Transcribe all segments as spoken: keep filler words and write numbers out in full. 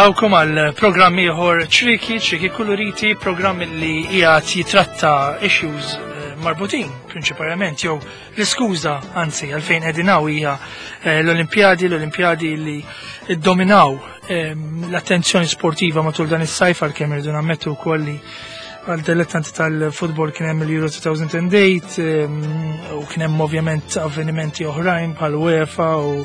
Nilqawkom għal programm ieħor Ċrieki, Ċrieki Kuluriti, programm li qiegħed jitratta issues eh, marbutin prinċipalment jew l-iskuża anzi għalfejn qegħdin hawn hija eh, l-Olimpjadi, l-Olimpjadi li ddominaw eh, l-attenzjoni sportiva matul dan is-sajf, għalkemm irridu nammettu wkoll li għal dilettanti tal-futbol kien hemm il-Euro elfejn u tmienja u kien hemm ovvjament avvenimenti oħrajn bħal UEFA u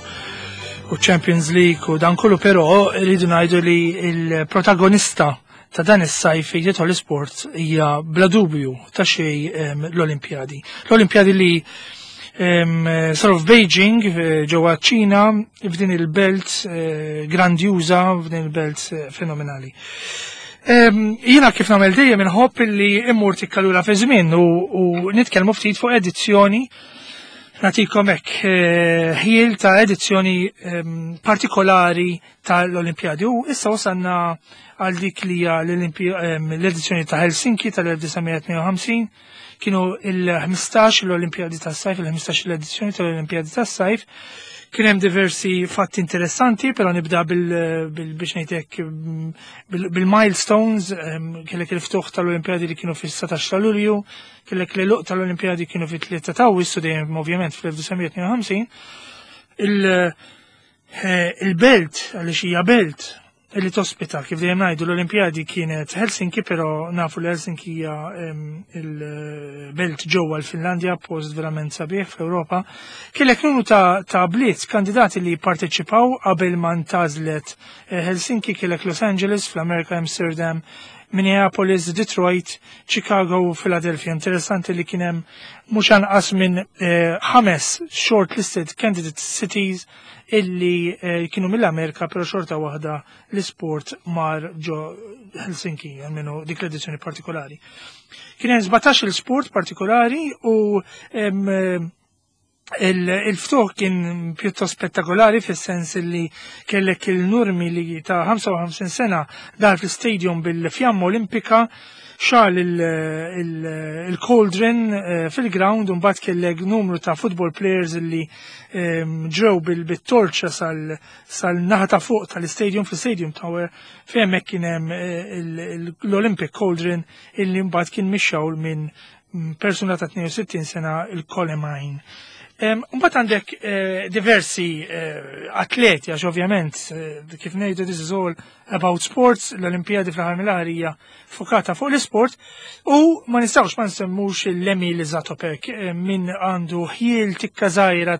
u Champions League u dan kollu, però rridu ngħidu li il-protagonista ta' dan is-sajf fejn jidħol l-isport hija bla dubju ta' xejn l-Olimpjadi. L-Olimpjadi li saru f'Beijing eh, ġewwa ċ-Ċina, f'din il-belt eh, grandjuża, f'din il-belt eh, fenomenali. Jiena kif nagħmel dejjem inħobb illi immur tikka lura fi żmien u, u nitkellmu ftit fuq edizzjoni, nagħtikom hekk ħjiel ta' edizzjoni partikolari tal-Olimpjadi. U issa wasanna għal dik li hija l-edizzjoni ta' Helsinki tal-elf disa' mija tnejn u ħamsin. Kienu il-ħmistax l-Olimpjadi tas-sajf, il-ħmistax l-edizzjoni tal-Olimpjadi tas-sajf. Kien hemm diversi fatti interessanti, però nibda bil biex ngħidlek bil-milestones, kellek il-ftuħ tal-Olimpjadi li kienu fis-satax ta' Lulju, kellek l-għeluq tal-Olimpjadi kienu fit-tlieta ta' Awwissu, dejjem ovvjament fl-elf disa' mija tnejn u ħamsin. Il-belt, għaliex hija belt, li tospita, kif dejjem ngħidu, l-Olimpjadi kienet Helsinki, però nafu li Helsinki hija il-belt ġewwa l-Finlandja, post verament sabiħ fl-Ewropa. Kellek numru ta', ta bliet kandidati li parteċipaw qabel ma ntgħażlet eh, Helsinki. Kellek Los Angeles fl-Amerika, Amsterdam, Minneapolis, Detroit, Chicago u Philadelphia. Interessanti li kien hemm mhux anqas minn eh, ħames shortlisted candidate cities illi eh, kienu mill-Amerika, pero xorta waħda l-sport mar ġo Helsinki, almenu dik l-edizzjoni partikolari. Kien hemm sbatax il-sport partikolari u em, eh, il-ftuħ kien pjuttost spettakolari fis-sens li kellek il-Nurmi li ta' ħamsa u ħamsin sena daħal fl-stadium bil-fjamma olimpika, xegħel il-cauldron eh, fil-ground, u mbagħad kellek numru ta' football players li ehm, ġew bil-torċa sal-naħa ta' fuq tal-stadium, fil-stadium tower, fejn hemmhekk kien hemm eh, l-Olympic Cauldron illi mbagħad kien mixgħul minn persuna ta' tnejn u sittin sena, il-Colemine. Mbagħad għandek eh, diversi atleti, għax ovvjament, kif ngħidu, this is all about sports, l-Olimpijadi fl-aħħar mill-aħħar hija fokata fuq l-sport u ma nistgħux ma nsemmux l-Emil Zatopek. Min għandu ħjiel tikka żgħira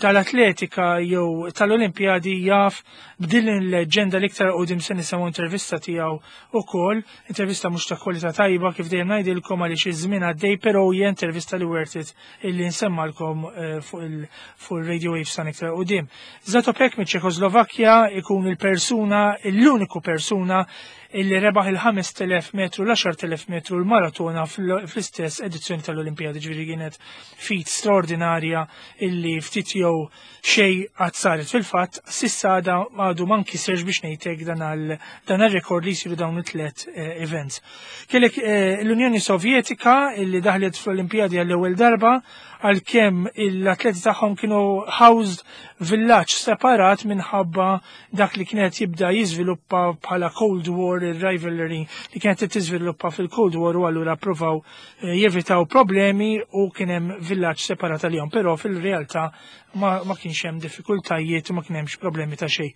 tal-atletika jew tal-Olimpijadi jaf b'din il-leġenda. L-iktar quddiem se nisimgħu intervista tiegħu ukoll, intervista mhux ta' kwalità tajba kif dejjem ngħidilkom għaliex iż-żmien għaddej, però hija intervista li worth it illi nsemmalkom eh, fuq il-Radio Waves sa iktar quddiem. Zatopek mit Ċekoslovakkja ikun il-persuna, l-uniku persuna illi rebaħ il-ħamest elef metru, l-għaxart elef metru, l-maratona fl-istess edizzjoni tal-Olimpijadi, ġifieri kienet feat straordinarja illi ftit jew xej qatt saret. Fil-fatt, s'issa għada għadu ma nkisirx biex ngħidlek dan dan rekord li jsiru dawn it-tlet eh, events. Kellek eh, l-Unjoni Sovjetika illi daħlet fl-Olimpijadi għall-ewwel darba, għalkemm l-atleti tagħhom kienu housed villaġġ separat minħabba dak li kienet jibda jiżviluppa bħala Cold War, il-rivalry li kienet tiżviluppa fil-Cold War, u allura provaw eh, jevitaw problemi u kien hemm villaġġ separat għalihom, però fil-realtà ma, ma kienx hemm diffikultajiet u ma kien hemmx problemi ta' xejn.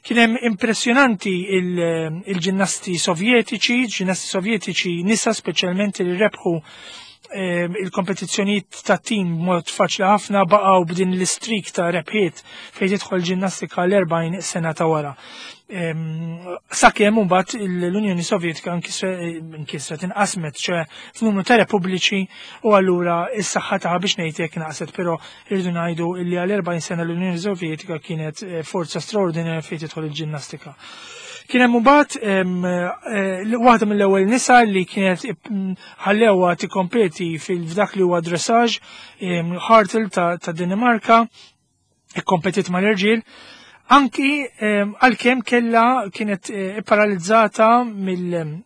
Kien hemm impressjonanti il-ġinnasti sovjetiċi, ġinnasti sovjetiċi nisa speċjalment, li rebħu il-kompetizzjonijiet ta' tim mod faċli ħafna, baqgħu b'din l-streak ta' rebħiet fejn tidħol ġinnastika l-erbgħin sena ta' wara. Sakemm mbagħad l-Unjoni Sovjetika nkisret, inqasmet, ċe f'numru ta' repubbliċi, u allura is-saħħa tagħha biex ngħidlek naqset, però irridu ngħidu li għal erbgħin sena l-Unjoni Sovjetika kienet eh, forza straordinarja fejn tidħol il-ġinnastika. Kien hemm mbagħad eh, waħda mill-ewwel nisa li kienet ħallewha tikkompeti fil-f'dak li huwa dressage, Hartl ta' Danimarka, ikkompetit mal-irġiel. Anki għalkemm kella kienet eh, paralizzata mill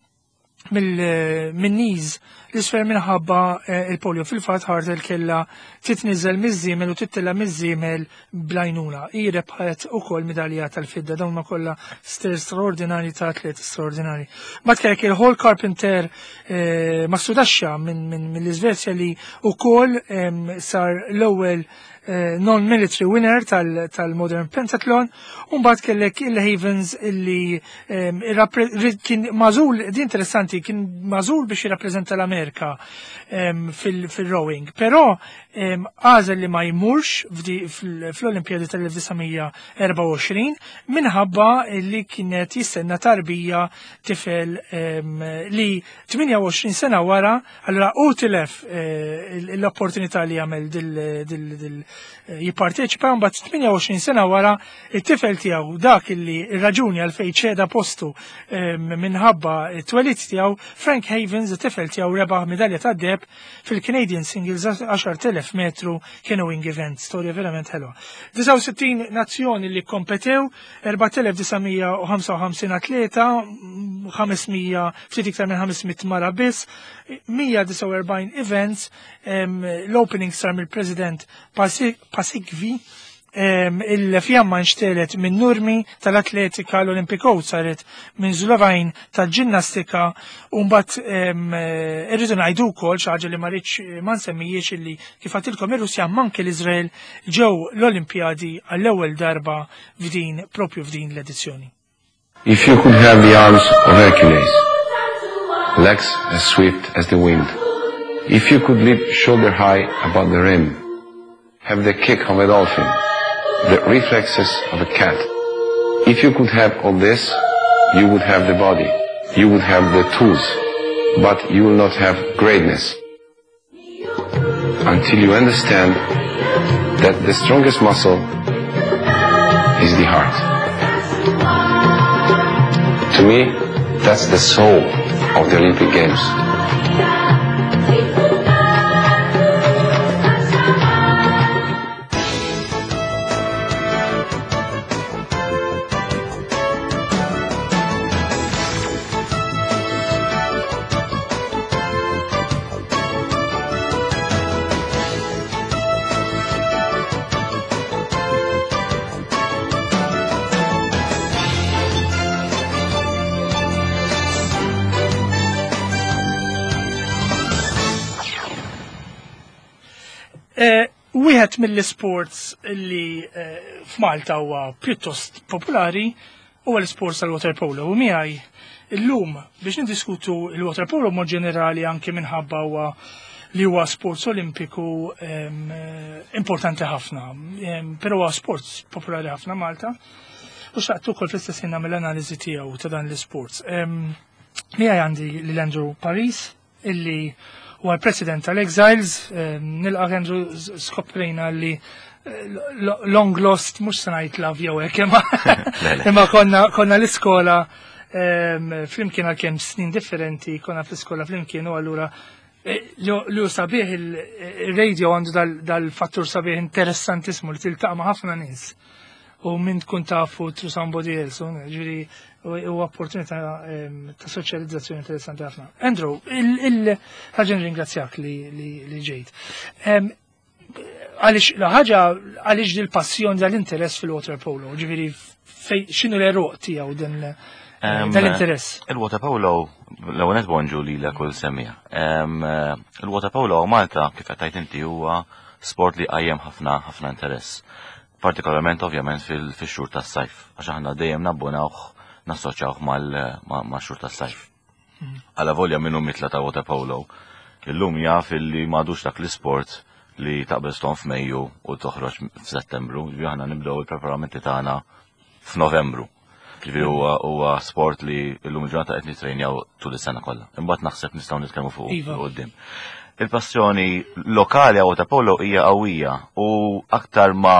Min-knees l-isfel minħabba eh, il-polio. Fil-fatt Hartel kella titniżel miż-żiemel u tittella miż-żiemel bl-għajnuna. Hi rebħet ukoll medalja tal-fidda. Dawn ma kollha straordinari ta' atleti straordinari. Mbagħad kellek il-Hall Carpenter eh, Mastudaxxa mill-Iżvezja li ukoll sar l-ewwel eh, non-military winner tal-Modern Pentathlon, u mbagħad kellek il-Havens illi kien magħżul, di interessanti, kien magħżul biex jirrappreżenta l-Amerika fil-rowing, però għażel li ma jmurx fl-Olimpjadi tal-elf disa' mija erbgħa u għoxrin minħabba li kienet jistenna tarbija, tifel li tmienja u għoxrin sena wara, allura u tilef eh, l-opportunità li jagħmel dil jipparteċipa, mbagħad tmienja u għoxrin sena wara it-tifel tiegħu, dak illi ir-raġuni għalfejn ċeda postu minħabba t-twelid tiegħu, Frank Havens, it-tifel tiegħu, rebaħ medalja tad-deheb fil-Canadian Singles għaxart elef metru canoeing event. Storja verament ħelwa. disgħa u sittin nazzjoni li kompetew, erbat elef disa' mija u ħamsa u ħamsin atleta, ħames mija, ftit iktar minn ħames mitt mara biss, mija disgħa u erbgħin events, l-opening sar mill-President Paasikivi, il-fjamma nxtegħlet minn Nurmi tal-atletika, l-Olympic Oath saret minn Julavin tal-ġinnastika, u mbagħad irridu ngħidu wkoll xi ħaġa li ma rridx ma nsemmijiex, illi kif għedtilkom ir-Russja manke l-Iżrael ġew l-Olimpjadi għall-ewwel darba f'din propju f'din l-edizzjoni. If you could have the arms of Hercules, legs as swift as the wind, if you could leap shoulder high above the rim, have the kick of a dolphin, the reflexes of a cat, if you could have all this, you would have the body, you would have the tools, but you will not have greatness until you understand that the strongest muscle is the heart. To me, that's the soul of the Olympic Games. Eh, wieħed mill-sports li eh, f'Malta huwa pjuttost popolari huwa l-sports tal-waterpolo. U miegħi illum biex niddiskutu il-waterpolo mod ġenerali, anke minħabba huwa li huwa sports olimpiku em, eh, importanti ħafna, em, però huwa sports popolari ħafna Malta. U xtaqt ukoll fl-istess ħin nagħmel analiżi tiegħu ta' dan l-sports. Em, Miegħi għandi lil Andrew Paris, illi huwa l-president tal-Exiles. Nilqa' Andrew. Skoprejna li eh, long lost, mhux se ngħid love jew hekk, imma imma konna konna l-iskola em, flimkien għal kemm snin differenti, konna fl-iskola flimkien, u allura eh, li hu sabiħ, il-radio għandu dal-fattur sabiħ interessantismu li tiltaqa' ma' ħafna nies u minn tkun tafu through somebody else, u ġifieri u opportunità em, ta' soċjalizzazzjoni interessanti ħafna. Andrew, il-ħaġa ringrazzjak li, li, li ġejt. Em, Għaliex, la ħaġa, għaliex dil-passjoni, dal-interess fil-water polo, ġifieri, fej, x'inhu l-għeruq tiegħu din Em, dal-interess? Il-water polo, l-ewwel nett bonġu li la kull semmiegħ. Il-water polo Malta, kif qed tgħid inti, huwa sport li qajjem ħafna ħafna interess. Partikolarment ovvjament fil-xhur tas-sajf, għax aħna dejjem nabbunawh, nassoċjawh mal-xhur tas-sajf. Għala volja minnu mitla ta' water polo, illum jaf illi m'għadux dak l-isport li taqbeż ton f'Mejju u toħroġ f'Settembru, ġifieri aħna nibdew il-preparamenti tagħna f'Novembru. Ġifieri huwa huwa sport li llum il-ġurnata qed nitrejnjaw tul is-sena kollha. Imbagħad naħseb nistgħu nitkellmu fuq Iva. quddiem. Il-passjoni lokali għal water polo hija qawwija u aktar ma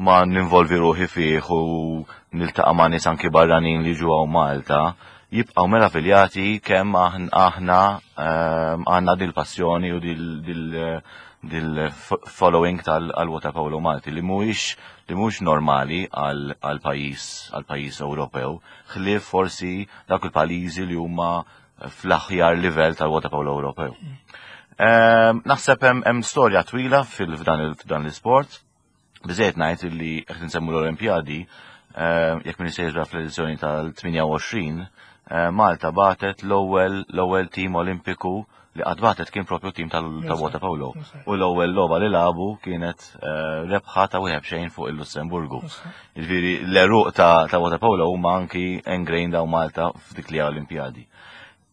ma ninvolvi ruħi fih u niltaqa' ma' nies anki barranin li ġew Malta, jibqgħu meraviljati kemm aħn- aħna ehm, għandna dil-passjoni u dil- dil- dil-following tal-water polo Malti li mhuwiex li mhuwiex normali għal għal pajjiż għal pajjiż Ewropew, ħlief forsi dak il-pajjiżi li huma fl-aħjar livell tal-waterpolo Ewropew. Ehm, Naħseb hemm hemm storja twila fil-f'dan il- f'dan l-isport. Biżejjed ngħid li qed nsemmu l-Olimpjadi, ehm, jekk min sejra fl-edizzjoni tal-tmienja u għoxrin, eh, Malta bagħtet l-ewwel l-ewwel tim Olimpiku li qatt bagħtet kien propju tim tal-waterpolo. U l-ewwel logħba li lagħbu kienet eh, rebħa ta' wieħed xejn fuq il-Lussemburgu. Jiġifieri l-għeruq ta' ta' waterpolo huma anki ingrained hawn Malta f'dik li Olimpjadi.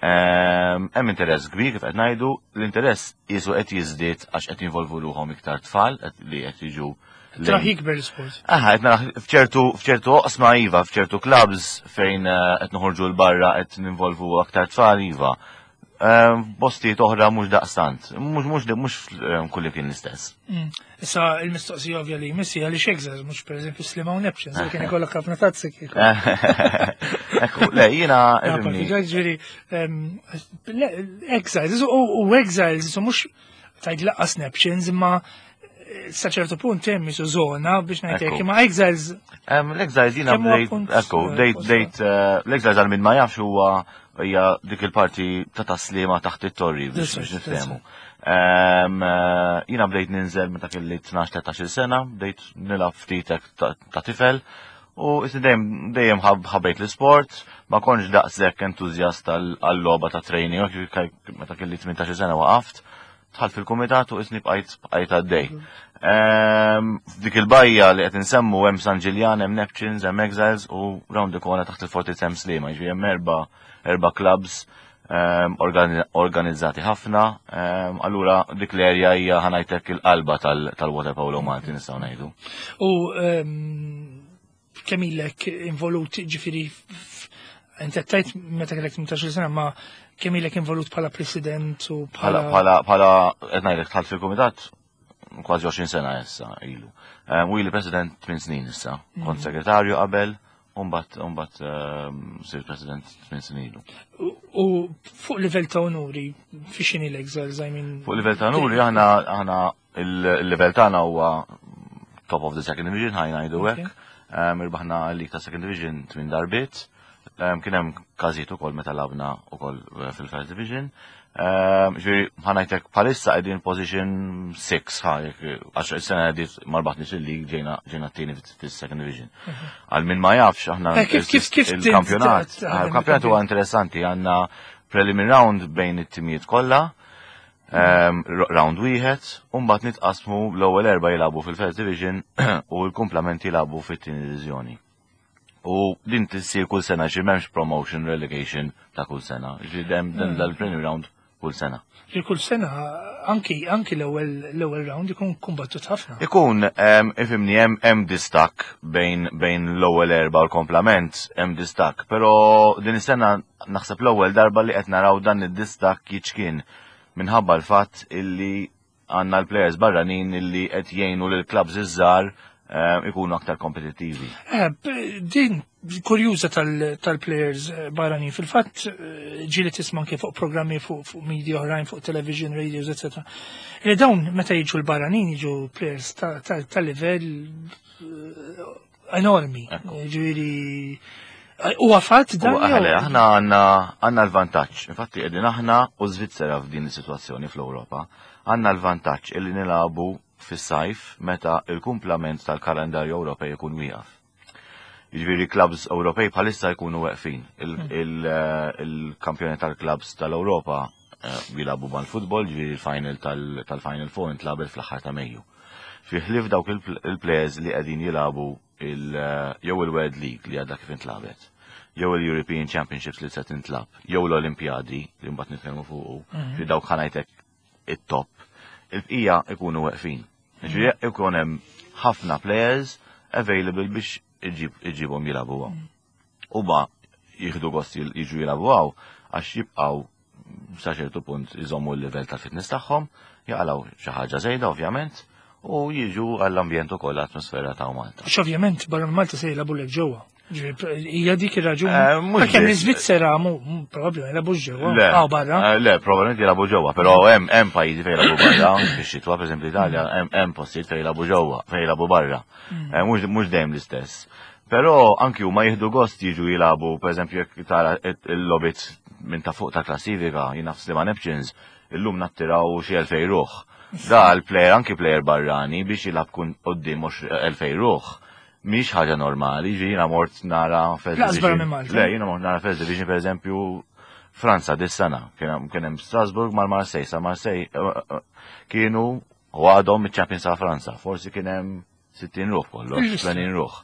Ehm, Hemm interess kbir, kif qed ngħidu, l-interess qisu qed jiżdied għax qed jinvolvu ruħhom iktar tfal qed- li qed jiġu Traħ jikber l-sport. Aha, qed nara f'ċertu f'ċertu oqsma iva, f'ċertu clubs fejn eh, qed noħorġu 'l barra qed ninvolvu aktar tfal iva. Ehm, Postijiet oħra mhux daqstant, mhux mhux mhux eh, kulli kien l-istess. Mm. Issa il-mistoqsija ovvja li jmissi għaliex Exiles, mhux per eżempju Sliema u Neptunes, li kien ikollok ħafna tazzi kieku. Ekku, le, jiena ifhimni, Ġifieri, Exiles, u u Exiles, isu mhux tajt lanqas Neptunes, imma eh, sa ċertu punt hemm isu zona biex ngħidlek, Ekku. imma Exiles Em, L-Exiles jiena Kemm huwa bdejt, punt, ekku, eh, bdejt, posta? bdejt, eh, l-Exiles għal min ma jafx huwa hija dik il-parti ta' Tas-Sliema taħt it-torri biex That's right, biex niftehmu. Em, eh, Jiena bdejt ninżel meta kelli tnax-tlettax-il sena, bdejt nilgħab ftit hekk ta' ta' tifel. U issa dejjem dejjem ħab- ħabbejt l-sport, ma kontx daqshekk entużjast għal-logħba ta' training, meta kelli tmintax-il sena waqaft, dħalt fil-kumitat u isni bqajt bqajt għaddej. Ehm, F'dik il-bajja li qed insemmu hemm San Ġiljan, hemm Neptunes, hemm Exiles u round the corner taħt il-Fortizza hemm Sliema, jiġifieri hemm erba' erba' clubs ehm, organi- organizzati ħafna. ehm, Allura dik l-area hija, ħa ngħidlek, il-qalba tal- tal-waterpolo Malti, nistgħu ngħidu. U ehm, kemm ilek involut, ġifieri, f- inti tajt meta kellek tmintax-il sena, ma kemm ilek involut bħala president u Bħala bħala bħala bħala qed ngħidlek dħalt fil-kumitat kważi għoxrin sena issa ilu. Ehm, U ili president tmien snin issa. Kont segretarju qabel, u mbagħad u mbagħad ehm, sirt president tmien snin ilu. U u fuq livell ta' onuri, fi xini l-Exiles, I mean? Fuq livell ta' onuri aħna aħna il-livell tagħna huwa top of the second division, ħa ngħidu hekk. Ehm, Irbaħna l-league ta' second division tmien darbiet. Ehm, Kien hemm każijiet ukoll meta lgħabna ukoll eh, fil-first division. Ehm, Ġifieri ħa ngħidlek bħalissa qegħdin position sitta ħa jekk- għax is-sena għaddiet ma rbaħniex il-league, ġejna ġejna t-tieni fis-second division. Għal min ma jafx aħna Eh, kif- kif- kif il-kampjonat, tint- taħdem il-kampjonat huwa interessanti, għandna preliminary round bejn it-timijiet kollha, um, round wieħed, u mbagħad nitqasmu, l-ewwel erba' jilagħbu fil-First Division u l-kumplament jilagħbu fit-tieni diviżjoni. U din tissir kull sena, xi m'hemmx promotion relegation ta' kull sena. Ġifieri hemm dan dal-preliminary round kull sena. Li kull sena anki anki l-ewwel l-ewwel round ikun kumbattut ħafna. Ikun, um, ifhimni, hemm hemm distakk bejn bejn l-ewwel erba' u l-komplament, hemm distakk, però din is-sena naħseb l-ewwel darba li qed naraw dan id-distakk jiċkien minħabba l-fatt illi għandna l-players barranin illi qed jgħinu lil clubs iż-żgħar um, ikunu aktar kompetittivi. Eh, b- din kurjuża tal- tal-players eh, barranin. Fil-fatt eh, ġieli tisma' anke fuq programmi fuq fuq media oħrajn, fuq television, radios, eccetera. Li dawn meta jiġu l-barranin jiġu players ta' ta' ta' livell eh, enormi. Ġifieri huwa fatt dan? U aħle, jew- aħna għandna għandna l-vantaġġ. Infatti qegħdin aħna u Svizzera f'din is-sitwazzjoni fl-Ewropa. Għandna l-vantaġġ illi nilagħbu fis-sajf meta il-kumplament tal-kalendarju Ewropej ikun wieqaf. Jiġifieri clubs Ewropej bħalissa jkunu weqfin. Il-kampjoni tal-clubs tal-Ewropa eh, jilagħbu mal-futbol, ġifieri il-final tal- tal-Final Four intlagħbet fl-aħħar ta' Mejju. Fi ħlief dawk il- il-players li qegħdin jilagħbu il- jew il-World League li għadha kif intlagħbet, jew il-European Championships li se tintlagħab, jew l-Olimpjadi li mbagħad nitkellmu fuqu, fi dawk, ħa ngħidlek, it-top. Il-bqija ikunu weqfin. Ġifieri ikun hemm ħafna players available biex iġib iġibhom jilagħbu hawn. U ba jieħdu gost jil- jiġu jilagħbu hawn għax jibqgħu sa ċertu punt iżommu l-livell tal-fitness tagħhom, jaqalgħu xi ħaġa żejda ovvjament, u jiġu għall-ambjent ukoll, l-atmosfera ta' Malta. Għax ovvjament barra minn Malta se jilagħbu lek ġewwa. Ġifieri, hija dik ir-raġuni. Eh, mhux Għalkemm biss. l-Iżvizzera mu mu probabbli ma jilagħbux ġewwa. Le, Aw barra. eh, Le, probabbilment jilagħbu ġewwa, però hemm hemm pajjiżi fejn jilagħbu barra, fix-xitwa, pereżempju l-Italja, hemm hemm postijiet fejn jilagħbu ġewwa, fejn jilagħbu barra. Eh, Mhux mhux dejjem l-istess. Però anki huma jieħdu gost jiġu jilagħbu, pereżempju jekk tara il-logħbiet minn ta' fuq ta' klassifika, jiena f'Sliema Neptunes, illum nattiraw xi elfej ruħ. Da l-player, anki player barrani biex jilgħab kun quddiem mhux elfej ruħ. Mhix ħaġa normali, ġi jiena mort nara First Division. Le, jiena mort nara First Division, per eżempju, Franza dis-sena. Kien hemm Strasbourg mal-Marseille, sa Marseille eh, eh, kienu u għadhom iċ-champions ta' Franza. Forsi kien hemm sittin ruħ kollox, tmenin ruħ.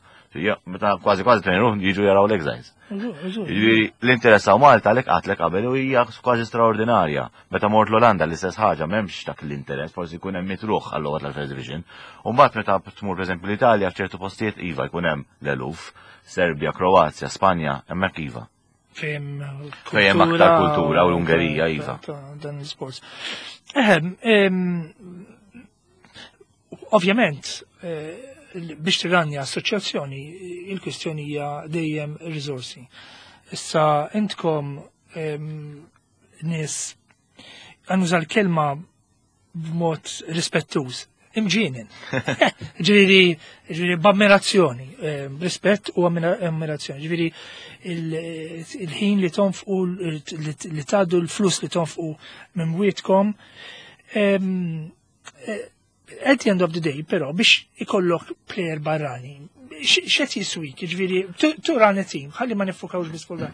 Meta kważi kważi tmenin ruħ jiġu jaraw l-Exiles. Jiġifieri l-interess hawn Malta għalhekk qatlek qabel u hija kważi straordinarja. Meta mort l-Olanda l-istess ħaġa, m'hemmx dak l-interess, forsi jkun hemm mitt ruħ għall-logħba tal-First Division. U mbagħad meta tmur, pereżempju, l-Italja, f'ċertu postijiet iva jkun hemm l-eluf, Serbja, Kroazja, Spanja, hemmhekk iva. Fejn Fejn aktar kultura u l-Ungerija iva. Dan l-sports. Ehem, ovvjament, eh, biex tirranja assoċjazzjoni, il-kwistjoni hija dejjem risorsi. Issa intkom nies, ħa nuża l-kelma b'mod rispettuż, imġienen. Ġifieri, ġifieri b'ammirazzjoni, rispett u ammirazzjoni. Ġifieri il-ħin li tonfqu, li tgħaddu, l-flus li tonfqu minn bwietkom. At the end of the day, però, biex ikollok player barrani, x'qed jiswik, ġifieri, tirranja team, ħalli ma niffukawx biss fuq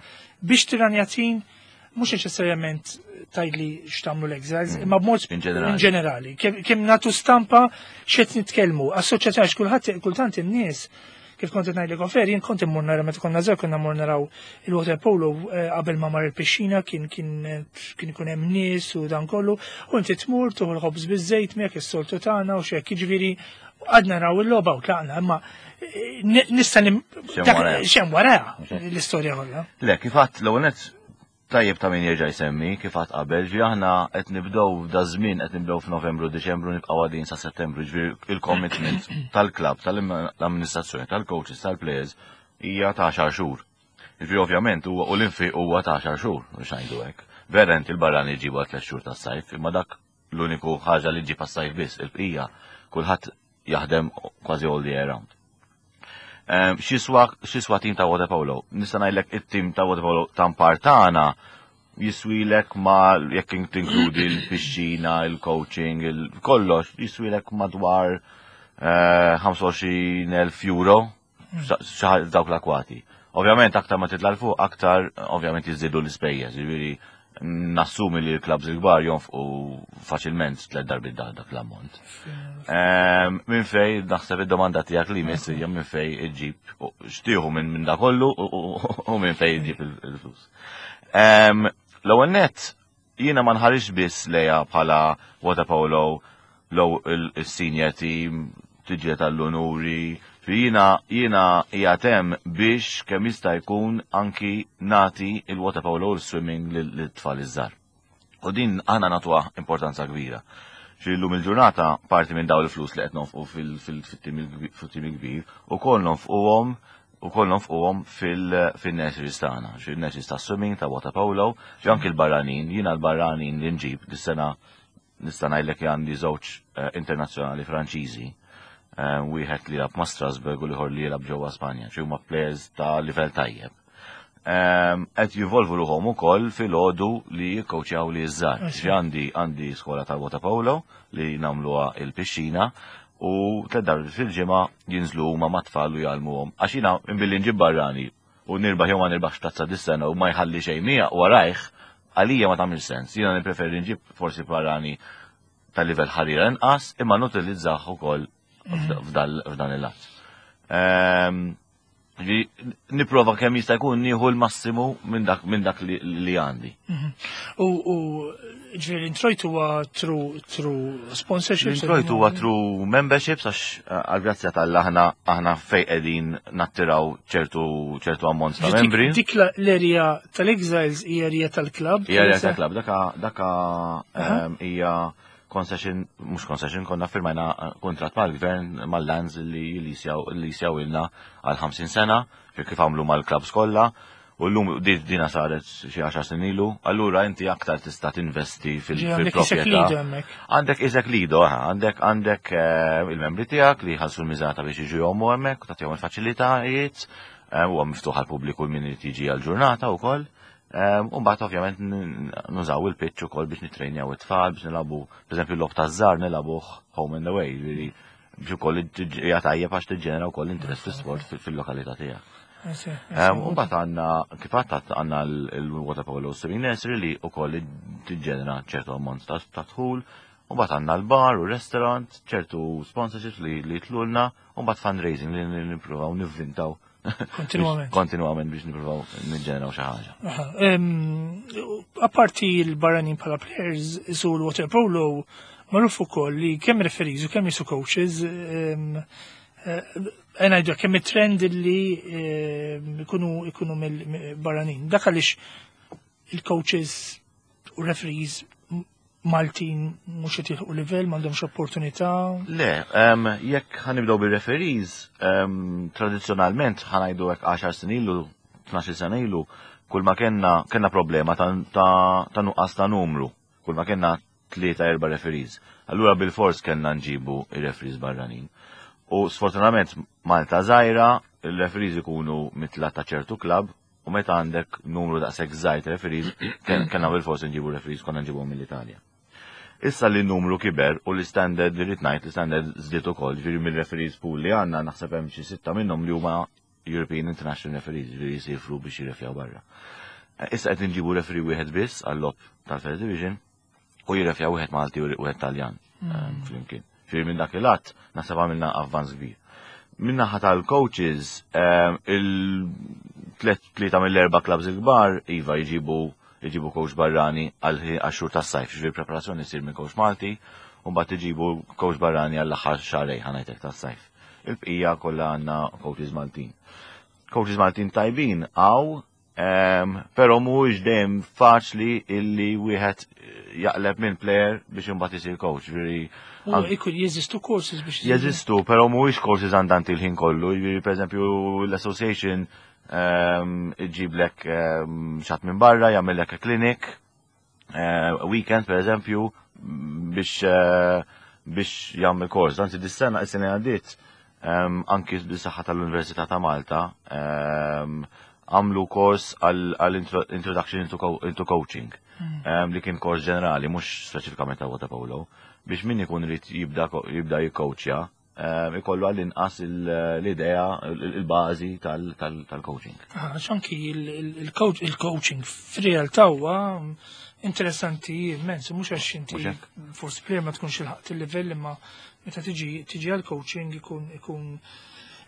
biex tirranja team, mhux neċessarjament tgħidli x'tagħmlu l-Exiles, mm. imma b'mod in ġenerali. Kemm nagħtu stampa x'qed nitkellmu, assoċjazzjoni, għax kulħadd kultant in-nies, kif kont ngħidlek off air, jien kont immur nara meta konna żgħar, konna mmur naraw il-water polo eh, qabel ma mar il-pixxina, kien kien kien ikun hemm nies u dan kollu, u inti tmur tieħu l-ħobż biż-żejt miegħek, is-soltu tagħna u x'hekk, jiġifieri għadna naraw il-logħba u tlaqna, imma eh, nista' x'hemm wara l-istorja kollha. Le, kif għadt l tajjeb ta' min jerġa' jsemmi, kif għadt qabel, ġi aħna qed nibdew da żmien, qed nibdew f'Novembru, Diċembru, nibqgħu għadin sa Settembru, ġifieri il-commitment tal-klabb, tal-amministrazzjoni, tal-coaches, tal-players hija ta' għaxar xhur. Ġifieri ovvjament huwa u l-infiq huwa ta' għaxar xhur, mhux ngħidu hekk. Vera inti l-barrani ġibu għal tliet xhur tas-sajf, imma dak l-uniku ħaġa li ġib għas-sajf biss, il-bqija kulħadd jaħdem kważi all the year round. X'jiswa tim ta' water polo? Nista' ngħidlek it-tim ta' water polo ta' partana jiswilek ma jekk tinkludi l-pixxina, il-coaching, il-kollox, jiswilek madwar ħamsa u għoxrin elf euro dawk l-akwati. Ovvjament aktar ma titla' 'l fuq, aktar ovvjament jiżdiedu l-ispejjeż, jiġifieri nassumi li l-klabs il-kbar jonfqu faċilment tliet darbiet dak l-ammont. Minn fej, naħseb id-domanda tiegħek li miss hija minn fej iġġib, x'tieħu minn da kollu u minn fej iġġib il-flus. L-ewwel net, jiena ma nħarisx biss lejha bħala water polo, low il-senior team, tiġi tal-onuri, jiena jiena jgħatem biex kemm jista' jkun anki nagħti il-water polo u l-swimming lit-tfal iż-żgħar. U din aħna nagħtuha importanza kbira. Xi llum il-ġurnata parti minn daw il-flus li qed nonfqu fil-tim il-kbir ukoll nonfquhom ukoll nonfquhom fil-nurseries tagħna, xi nurseries ta' swimming, ta' water polo, xi anki l-barranin, jiena l-barranin li nġib dis-sena nista' ngħidlek għandi żewġ eh, internazzjonali Franċiżi, eh, wieħed li jilgħab ma' Strasbourg u l-ieħor li jilgħab ġewwa Spanja, xi huma players ta' livell tajjeb. Qed jivolvu ruħhom ukoll fil-għodu li jikkowċjaw li iż-żgħar. Ġi għandi għandi skola tal-water polo li nagħmluha il-pixxina u tliet darbiet fil-ġimgħa jinżlu huma mat-tfal u jgħallmuhom. Għax jiena imbilli nġib barrani u nirbaħ jew ma nirbaħx tazza dis-sena u ma jħalli xejn mija warajh, għalija ma tagħmel sens. Jiena nippreferi nġib forsi barrani ta' livell ħarira inqas imma nutilizzah ukoll f'dan il-lat. Ehm, Nipprova kemm jista' jkun nieħu l-massimu minn dak minn dak li għandi. Mhm. U ġifieri introjtu huwa through through sponsorships? Introjtu huwa through memberships, għax għal-grazzja tal aħna aħna fej qegħdin nattiraw ċertu ċertu ammont ta' membri. Dik l-area tal-Exiles hija area tal-klabb? Hija area tal-klabb, daka daka ehm, hija concession, mhux concession, konna firmajna kontrat mal-gvern, mal-lands li jisjaw ilna għal ħamsin sena, kif għamlu mal-klabs kollha, u l-lum dina saret xi għaxar snin ilu, allura inti aktar tista' tinvesti fil-proprjetà. Għandek isek lido, għandek għandek eh, il-membri tiegħek li jħallsu l-miżata biex jiġu jgħumu hemmhekk, tagħtihom il-faċilitajiet, eh, huwa miftuħ għall-pubbliku min irid jiġi għal-ġurnata wkoll. U mbagħad ovvjament nużaw il-pitch ukoll biex nitrejnjaw it-tfal, biex nilagħbu, pereżempju l-logħob taż-żgħar nilagħbuh home and away, ġifieri biex ukoll hija tajjeb għax tiġġenera wkoll interess fl-sport fil-lokalità tiegħek. U mbagħad għandna kif għadt għandna l-water polo swimming nursery li wkoll tiġġenera ċertu ammont ta' dħul. U mbagħad għandna l-bar u restaurant, ċertu sponsorships li li tlulna, u mbagħad fundraising li nippruvaw nivvintaw Kontinuament. Kontinuament biex nippruvaw niġġeneraw xi ħaġa. Apparti l-barranin bħala players, su l-water polo magħruf ukoll li kemm referees u kemm jisu coaches, ngħidu kemm it-trend li ikunu ikunu mill-barranin. Dak għaliex il-coaches u referees Maltin mhux qed jilħqu livell, m'għandhomx opportunità. Le, jekk ħa nibdew bir-referees, tradizzjonalment ħa ngħidu hekk għaxar snin ilu, tnax-il sena ilu, kull ma kellna kellna problema ta' nuqqas ta' numru, kull ma kellna tlieta erba' referees. Allura bil-fors kellna nġibu ir-referees barranin. U sfortunatament Malta żgħira, il-referees ikunu mitla ta' ċertu klab, u meta għandek numru daqshekk żgħir referees, kellna bil-fors nġibu referees, konna nġibu mill-Italja. Issa li numru kiber u l-standard li rrid ngħid l-standard żdied ukoll, ġifieri mill-referees pool li għandna naħseb hemm xi sitta minnhom li huma European International Referees, ġifieri jisifru biex jirrefjaw barra. Issa qed nġibu referee wieħed biss għall-logħob tal-First Division u jirrefjaw wieħed Malti u wieħed Taljan mm. flimkien. Ġifieri minn dak il-att naħseb għamilna avvanz kbir. Min-naħa tal-coaches, il-tlieta mill-erba' clubs il-kbar, iva, jġibu jġibu coach barrani għal xhur tas-sajf, ġifieri preparazzjoni jsir minn coach Malti, u mbagħad iġibu coach barrani għall-aħħar xahrejn ħa ngħidlek tas-sajf. Il-bqija kollha għandna coaches Maltin. Coaches Maltin tajbin għaw, però mhuwiex dejjem faċli illi wieħed jaqleb minn player biex imbagħad isir coach. Ġifieri Ikun jeżistu courses biex Jeżistu, però mhuwiex courses għandanti l-ħin kollu. Ġifieri pereżempju l-association iġiblek xi ħadd minn barra, jagħmellek clinic, eh, weekend per eżempju, biex eh, biex jagħmel course. Anzi dis-sena, is-sena għaddiet, anki bis-saħħa tal-Università ta' Malta, għamlu kors għal Introduction into Coaching, hmm. li kien kors ġenerali, mhux speċifikament ta' water polo, biex min ikun irid jibda jibda jikkoċja, ikollu għall-inqas l-idea, il-bażi tal-coaching. Anki il-coaching f'realtà huwa interessanti immens, mhux għax inti forsi player ma tkunx ilħaqt il-livell, imma meta tiġi tiġi għal-coaching ikun ikun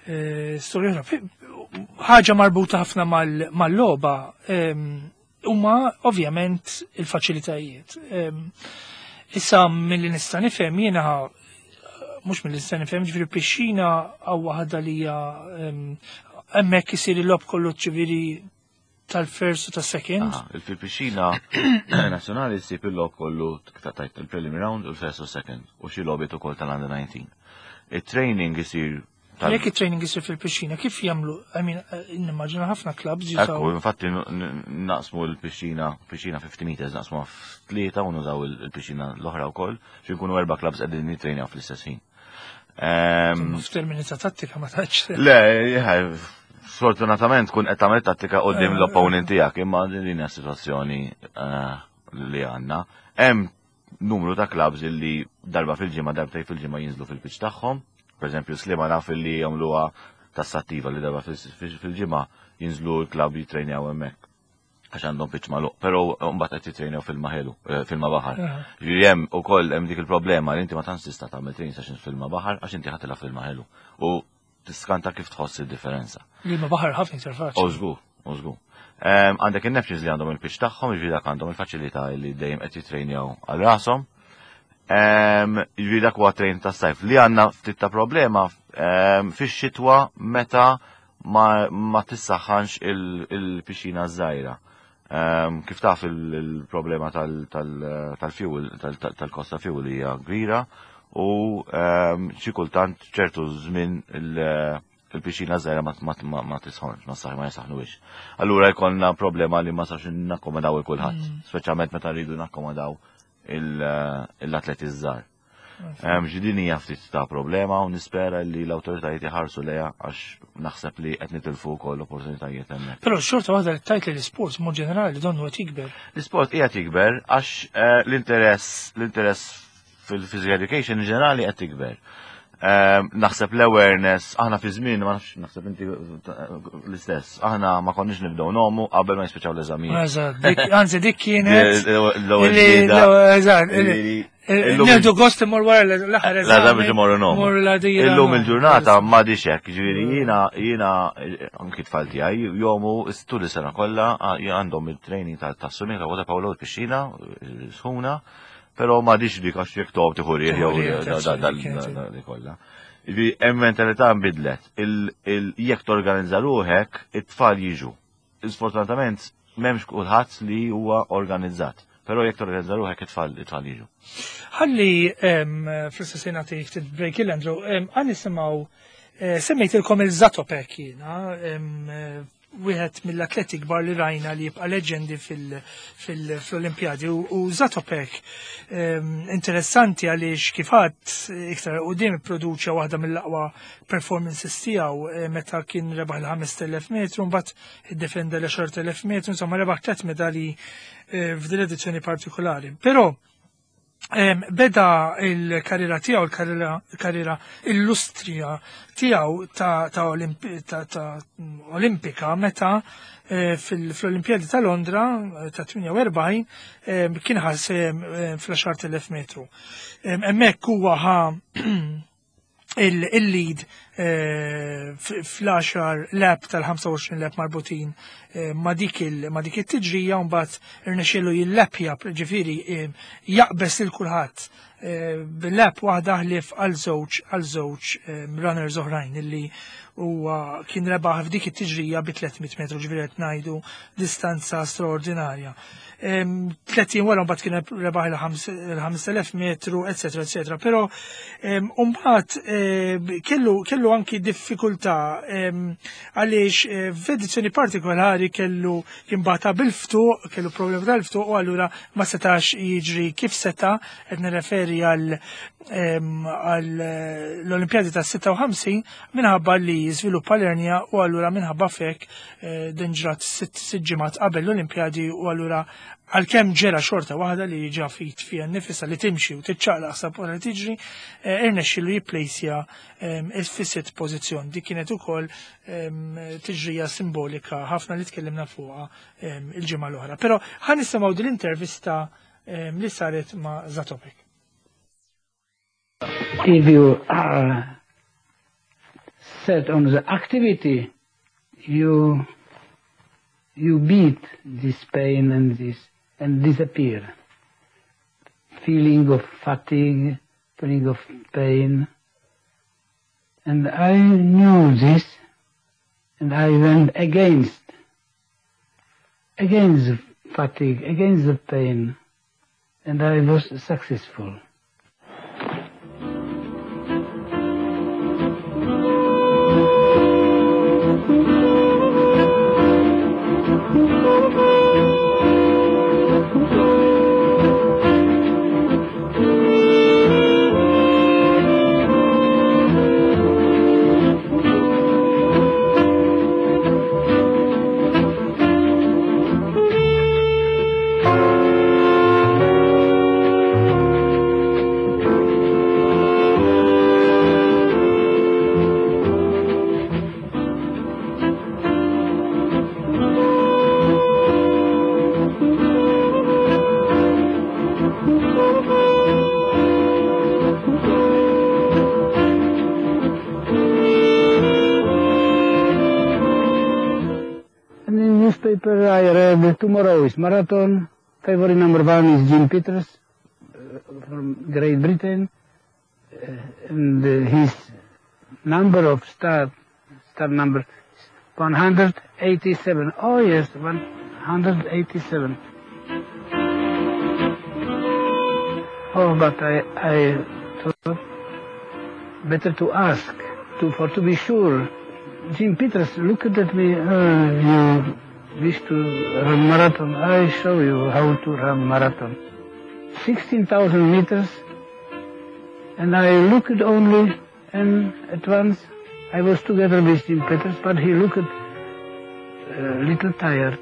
eh, storja oħra. Ħaġa marbuta ħafna mal-logħba huma ovvjament il-faċilitajiet. Issa mill-li nista' nifhem jiena, mhux mill-li nista' nifhem, ġifieri pixxina hawn waħda li hija hemmhekk isir il-logħob kollu, ġifieri tal-first u tas-second. Il-pixxina nazzjonali ssib il-logħob kollu tajt il-prelim round u l-first u second u xi logħbiet ukoll tal-under nineteen. Il-training isir Jekk il-training isir fil-pixxina, kif jagħmlu? I mean, eh, nimmaġina ħafna clubs jużaw. Ekku, infatti naqsmu l-pixxina, pixxina fifty meters, naqsmu f'tlieta u nużaw il-pixxina l-oħra wkoll, xi nkunu erba' clubs qegħdin nittrejnaw fl-istess ħin. F'termini ta' tattika ma taċ. Le, sfortunatament kun qed tagħmel tattika qudiem l-opponent tiegħek, imma din hija sitwazzjoni eh, li għandna. Hemm numru ta' clubs illi darba fil-ġimgħa, darbtejn fil-ġimgħa jinżlu fil-pitch tagħhom. Per eżempju, Sliema naf illi jagħmluha tassattiva li darba fil-ġimgħa jinżlu l-club jitrejnjaw hemmhekk għax għandhom pitch magħluq, però mbagħad qed jitrejnjaw fil-maħelu, eh, fil baħar. Ġifieri hemm ukoll hemm dik il-problema li inti ma tantx tista' tagħmel training sessions fil baħar għax inti ħa tilgħab fil-maħelu. U tiskanta kif tħoss il-differenza. Li ma baħar ħafna iktar faċli. Użgu, użgu. Għandek il-Neptunes li għandhom il-pitch tagħhom, ġifieri dak għandhom il-faċilità li dejjem qed jitrejnjaw għal rashom. Ġifieri dak huwa train ta' sajf li għandna ftit ta' problema fix-xitwa meta ma, ma tissaħħanx il-pixxina żgħira. Kif taf, il-problema tal-fuel, tal-kost ta' fuel hija kbira u xi kultant ċertu żmien il-pixxina żgħira ma tisħonx, ma saħ ma jisaħnuwix. Allura jkollna problema li ma sax nakkomodaw il kulħadd, mm. speċjalment meta rridu nakkomodaw l-atleti żgħar. Ġifieri din hija ftit ta' problema u nispera li l-awtoritajiet iħarsu lejha għax naħseb li qed nitilfu wkoll opportunitajiet hemmhekk. Però xorta waħda li tajt li l-isport mod ġenerali donnu qed jikber. L-isport qiegħed jikber għax eh, l-interess l-interess fil-physical education in ġenerali qed tikber. Ehm, naħseb l-awareness, aħna fi żmien, ma nafx, naħseb inti l-istess, aħna ma konniex nibdew ngħumu qabel ma jispiċċaw l-eżamijiet. Eżatt, anzi dik kienet. L-ewwel Eżatt, nieħdu gost imur wara l-aħħar eżami. biex imorru ngħumu. Illum il-ġurnata ma hekk, ġifieri jiena jiena anki tfal tiegħi jgħumu tul is-sena kollha, għandhom il-training tas-swimming ta' water polo, l-pixxina sħuna, però ma dik għax jekk tob tieħu riħ jew dik kollha. Ġifieri hemm mentalità nbidlet. Jekk torganizza ruħek, it-tfal jiġu. Sfortunatament m'hemmx kulħadd li huwa organizzat. Però jekk torganizza ruħek, it-tfal it-tfal jiġu. Ħalli fl-istess nagħti ftit break il Andrew, għan nisimgħu, eh, semmejtilkom il-Zatopek jiena, wieħed mill-atleti kbar li rajna li jibqa' leġendi fil-Olimpjadi, u Zatopek interessanti għaliex kif għedt iktar quddiem produċa waħda mill-aqwa performances tiegħu eh, meta kien rebaħ il-ħamest elef metru, mbagħad iddefenda l-għaxart elef metru, insomma rebaħ tliet medali eh, f'din edizzjoni partikolari. Però beda il-karriera tiegħu, il-karriera illustrija tiegħu ta', ta, ta, ta olimpika meta eh, fil-Olimpjadi ta' Londra eh, ta' tmienja u erbgħin kien ħa sehem fl-għaxart elef metru. Hemmhekk huwa ħa il-lead eh, fl-għaxar lap tal-ħamsa u għoxrin lap marbutin eh, ma dik it-tiġrija, u mbagħad irnexxielu jillapja, ġifieri eh, jaqbes lil kulħadd bil-lap waħda ħlief għal żewġ għal żewġ runners oħrajn, illi huwa kien rebaħ f'dik it-tiġrija bi tliet mitt metru, ġifieri qed ngħidu distanza straordinarja. Tletin wara mbagħad kien rebaħ il-ħamest elef metru, eccetera, eccetera. Però mbagħad kellu kellu anki diffikultà għaliex eh, f'edizzjoni partikolari kellu jimbata bil-ftuq, kellu problemi tal-ftuq u allura ma setax jiġri kif seta, qed nirreferi għal l-Olimpjadi ta' sitta u ħamsin, minħabba li jiżviluppa l-ernja u allura minħabba fek eh, din ġrat sitt ġimgħat qabel l-Olimpjadi, u allura għalkemm ġera xorta waħda li ġa fit fija nifisa li timxi u tiċċaqlaq sa li tiġri, eh, irnexxielu jipplejsja fis-sitt pożizzjon. Dik kienet ukoll tiġrija simbolika ħafna li tkellimna fuqha il-ġimgħa l-oħra. Però ħa nisimgħu din l-intervista li saret ma' Zatopek. If you are set on the activity, you you beat this pain and this and disappear. Feeling of fatigue, feeling of pain. And I knew this, and I went against, against the fatigue, against the pain, and I was successful. And in newspaper I read tomorrow is marathon. Favorite number one is Jim Peters uh, from Great Britain. Uh, and uh, his number of start, start number is one hundred eighty-seven. Oh yes, one hundred eighty-seven. Oh, but I, I thought better to ask, to, for to be sure. Jim Peters looked at me, uh, you wish to run marathon? I show you how to run marathon. sixteen thousand meters And I looked only, and at once I was together with Jim Peters, but he looked a little tired.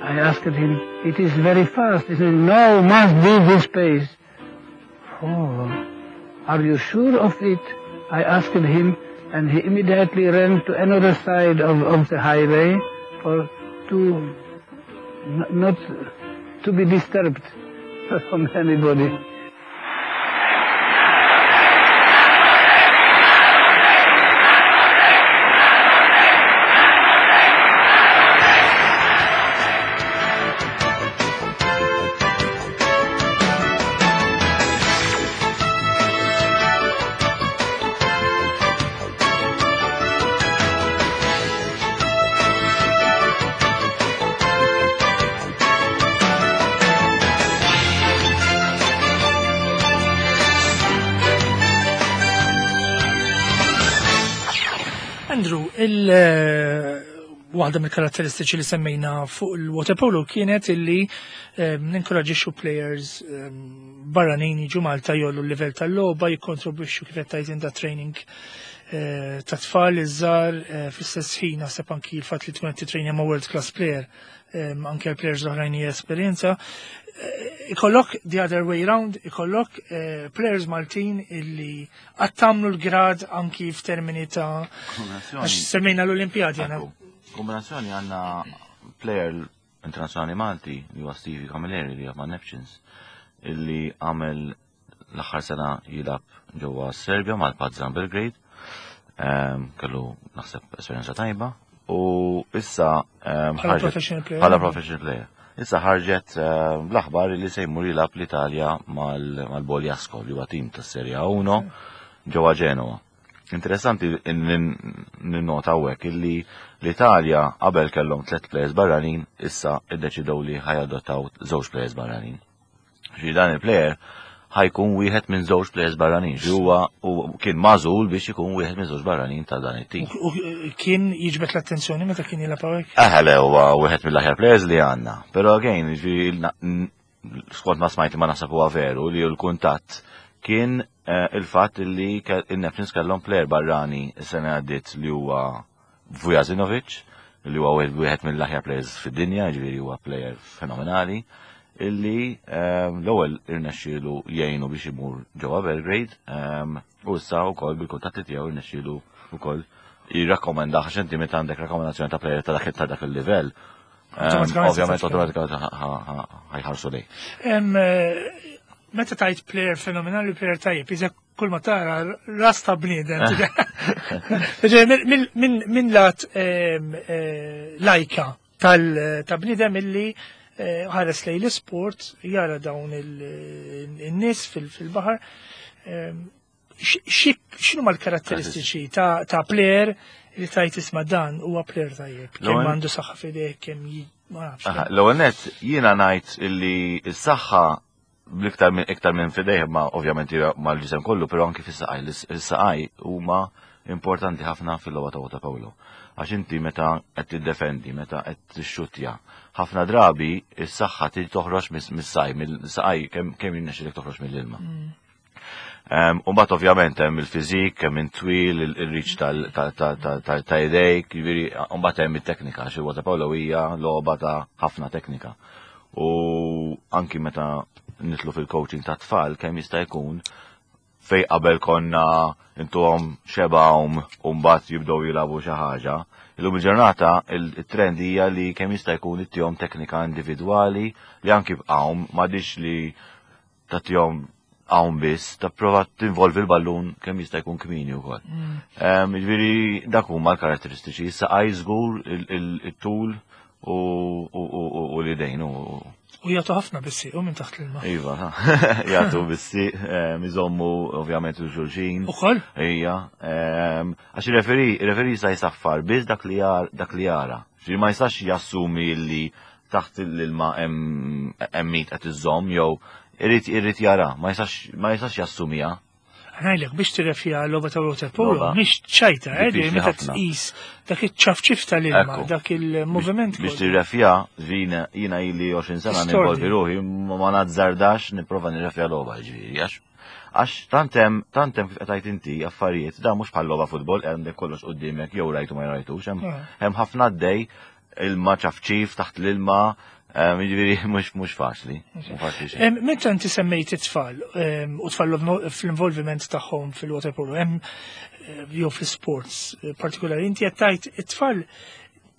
I asked him, it is very fast. He said, no, must be this pace. Oh, are you sure of it? I asked him, and he immediately ran to another side of, of the highway for to not to be disturbed from anybody. Andrew, il waħda mill-karatteristiċi li semmejna fuq il-waterpolo kienet illi ninkoraġixxu players barranin jiġu Malta jgħollu l-livell tal-logħba, jikkontribwixxu kif qed tgħid da training ta' tfal iż-żgħar, fl-istess ħin naħseb anki l-fatt li tkun qed titrejnja ma' world class player, anke l-players l-oħrajn hija esperjenza. Ikollok the other way round, ikollok players Maltin illi għattamlu l-grad anki f'termini ta' għax semmejna l-Olimpijadi għana. Kombinazzjoni għanna player internazzjonali Malti li huwa Stevie Camilleri li ma' Neptunes illi għamel l-aħħar sena jilgħab ġewwa Serbja mal-Partizan Belgrade. Kellu naħseb esperjenza tajba u issa bħala professional player. Bħala professional player. Issa ħarġet l-aħbar li se jmur jilgħab l-Italja mal-Bogliasco li huwa tim tas-Serie A uno ġewwa Genoa. Interessanti ninnota hawnhekk illi l-Italja qabel kellhom tliet players barranin, issa iddeċidew li ħajadottaw żewġ players barranin. Ġi dan il-player ħajkun wieħed minn żewġ players barranin, ġi huwa kien magħżul biex ikun wieħed minn żewġ barranin ta' dan it-tim. U kien jiġbed l-attenzjoni meta kien jilgħab hawnhekk? Eħe, le, huwa wieħed mill-aħjar players li għandna. Però again, ġi skont ma smajt ma naħseb huwa veru li l-kuntatt kien il-fatt li in-Neptunes kellhom player barrani s-sena għaddiet li huwa Vujasinovic, li huwa wieħed mill-aħjar players fid-dinja, ġifieri huwa player fenomenali, illi l-ewwel irnexxielu jgħinu biex imur ġewwa Belgrade, u issa wkoll bil-kuntatti tiegħu irnexxielu wkoll jirrakkomenda, għax inti meta għandek rakkomandazzjoni ta' player ta' dak ta' dak il-livell, ovvjament automatikament ħajħarsu lej. Meta tajt player fenomenali, player tajjeb, iżek kull ma tara ras ta' bniedem. Min lat lajka ta' bniedem illi ħares lej l-sport, jara dawn il-nies fil-baħar. X'inhu mal-karatteristiċi ta' player li tajt isma' dan huwa player tajjeb? Kemm għandu saħħa f'idejh, kemm ma nafx. L-ewwel nett jiena ngħid illi s-saħħa bl-iktar minn iktar minn fidejh, ma ovvjament mal-ġisem kollu, però anki fis-saqaj. Is-saqaj huma importanti ħafna fil-logħba ta' waterpolo. Għax inti meta qed tiddefendi, meta qed tixxuttja, ħafna drabi is-saħħa trid toħroġ mis-saqaj, mill-saqaj kemm jirnexxilek toħroġ mill-ilma. U mbagħad ovvjament hemm il-fiżik, kemm intwil, il-reach ta' idejk, jiġifieri mbagħad hemm it-teknika, għax il-waterpolo hija logħba ta' ħafna teknika. U anki meta nitlu fil-coaching ta' tfal kemm jista' jkun fej qabel konna intuhom xebgħhom u mbagħad jibdew jilagħbu xi ħaġa. Illum il-ġurnata il-trend hija li kemm jista' jkun ittihom teknika individwali li anki bqgħu m'għadix li tagħtihom hawn biss, tapprova tinvolvi l-ballun kemm jista' jkun kmieni wkoll. Jiġifieri dak huma l-karatteristiċi, issa qaj żgur it-tul u l-idejn. U jagħtu ħafna bissi, u minn taħt l-ilma. Iva, jagħtu bissi, iżommu ovvjament u xulxin. Ukoll? Ija, għax il-referi, il-referi jista' jsaffar biss dak li jara. Ġifieri ma jistax jassumi li taħt l-ilma hemm mit qed iżomm jew irid irid jara, ma jistax ma jistax jassumija. Ngħidlek, biex tirrefja logħba ta' water polo, Logħba mhix ċajta, eh, diffiċli meta ħafna. tqis dak iċ-ċafċif tal-ilma, Ekku. dak il-moviment Biex kollu. tirrefja, vina, jiena ili għoxrin sena Tistordi. ninvolvi ruħi, ma ma nazzardax nipprova nirrefja logħba, ġifieri, għax għax tantem, tantem kif qed inti affarijiet, da mhux bħal logħba futbol, għandek kollox quddiemek jew rajtu ma rajtux, hemm Ah. hemm ħafna għaddej, ilma ċafċif taħt l-ilma, em, jiġifieri mhux mhux faċli, mhux faċli xejn. Em, Meta inti semmejt it-tfal em, u tfal fl-involviment tagħhom fil-water polo, hemm eh, jew fl-sports eh, partikolari, inti qed tgħid it-tfal,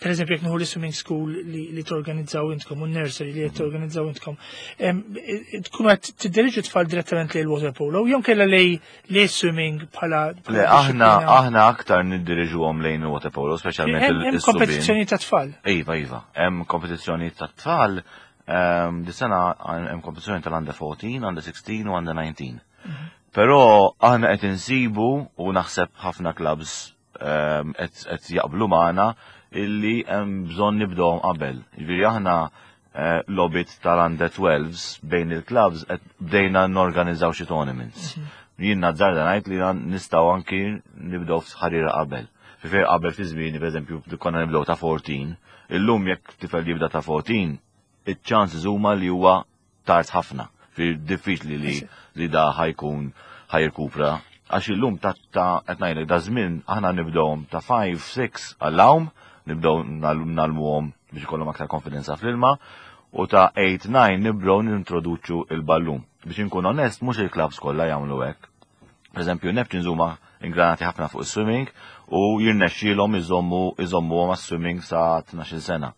per eżempju, jekk nieħu l-swimming school li, li torganizzaw intkom u nursery li qed torganizzaw intkom, em, eh, tkunu qed tiddiriġu tfal direttament lejn il-water polo, jew kellha lej li swimming bħala bħala Le, aħna disciplina? aħna aktar niddiriġuhom lejn il-water polo, speċjalment Hemm hemm il-subien. kompetizzjoni ta' tfal. Iva, iva. Hemm kompetizzjoni ta' tfal, ehm, di sena hemm kompetizzjoni tal-under fourteen, under sixteen u under nineteen. Però aħna qed insibu u naħseb ħafna clubs ehm, qed qed jaqblu magħna illi hemm bżonn nibdewhom qabel. Jiġifieri aħna eh, logħbiet tal-under twelves bejn il-clubs qed bdejna norganizzaw xi tournaments. Jien nazzarda ngħid li nistgħu anki nibdew f'ħarira qabel. Ġifieri qabel fi żmieni, pereżempju, konna nibdew ta' fourteen, illum jekk tifel jibda ta' fourteen, iċ-chances huma li huwa tard ħafna. Fi diffiċli li li da ħa jkun ħa jirkupra. Għax illum ta' ta' qed ngħidlek da żmien aħna nibdewhom ta' five, six għall-għawm, nibdew ngħallmuhom biex ikollhom aktar konfidenza fl-ilma, u ta' eight, nine nibdew nintroduċu il-ballun. Biex inkun onest, mhux il-clubs kollha jagħmlu hekk. Per eżempju, Neptunes huma ingranati ħafna fuq is-swimming u jirnexxielhom iżommu iżommuhom għas-swimming sa tnax-il sena.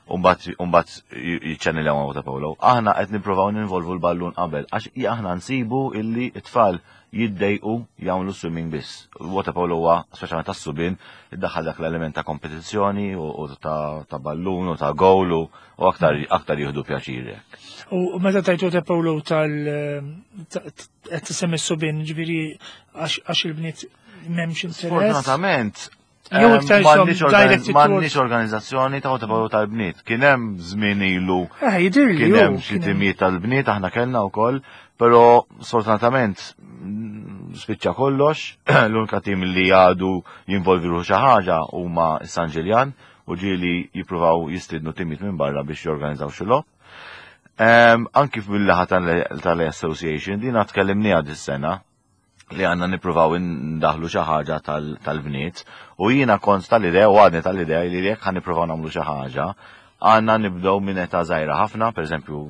Umbat umbat jiċċanniljaw water polo. Aħna qed nippruvaw ninvolvu l-ballun qabel għax aħna nsibu illi t-tfal jiddejqu jagħmlu swimming biss. Water polo huwa speċjalment tas-subien iddaħħal dak l-element ta' kompetizzjoni u u ta' ta' ballun u ta' goal u u aktar aktar jieħdu pjaċir hekk. U meta tajt water polo tal ta- qed tisemmi s-subien, ġifieri għax għax il-bniet m'hemmx interess. Sfortunatament, Jew em, iktar m'għandniex some organi- directed m'għandniex towards- organizzazzjoni ta' water polo tal-bniet. Kien hemm żmien ilu Eh, jidirli kien ju, hemm xi kien hemm. timijiet tal-bniet aħna kellna wkoll, però sfortunatament mm, spiċċa kollox, l-unika tim li għadu jinvolvi ruħu xi ħaġa huma San Ġiljan u ġieli jippruvaw jistidnu timijiet minn barra biex jorganizzaw xi logħob. Em, Anki fil-laħa tal-association dina tkellimniha dis-sena li għanna nippruvaw ndaħlu xi ħaġa tal- tal-bniet u jiena kont tal-idea u għadni tal-idea li jekk ħa nippruvaw nagħmlu xi ħaġa għandna nibdew minn età żgħira ħafna, pereżempju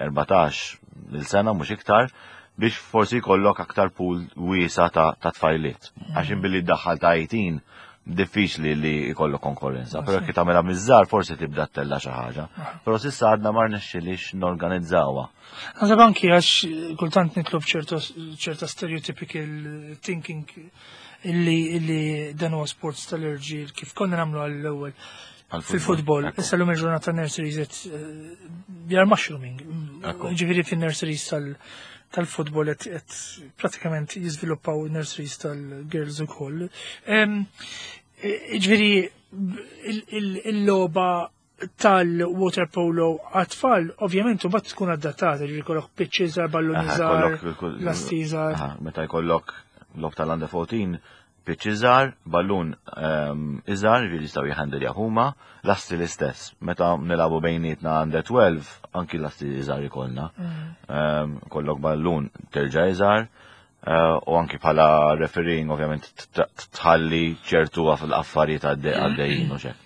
erbatax il sena mhux iktar, biex forsi jkollok aktar pool wiesa ta' ta' tfajliet. Għax billi ddaħħal ta' tmintax diffiċli li jkollok konkurrenza. Però jekk tagħmilha miż-żgħar forsi tibda ttella' xi ħaġa. Però s'issa għadna ma rnexxilix norganizzawha. Naħseb anki għax kultant nitlob ċerta ċerta stereotypical thinking illi illi dan huwa sports tal-irġiel kif konna nagħmlu għall-ewwel fil-futbol. Ekku. Issa l-lum il-ġurnata nurseries qed they are mushrooming. Ekku. Ġifieri fin-nurseries tal- tal-futbol qed qed pratikament jiżviluppaw nurseries tal-girls ukoll. Em, Ġifieri il- il- il-logħba tal-water polo għat-tfal, ovvjament, u bat tkun adattata, ġifieri kollok pitch iżgħar, ballun Aha, iżgħar, kollok- lasti iżgħar. Aha, meta jkollok logħob tal-under fourteen, pitch iżgħar, ballun ehm, iżgħar, ġifieri jistgħu jħandilja huma, lasti l-istess. Meta nilagħbu bejnietna under twelve, anki lasti iżgħar ikollna. Ehm, Kollok ballun terġa' iżgħar, eh, u anki bħala refereeing ovvjament t- t- tħalli ċertu fil-affarijiet għaddejjin u xek.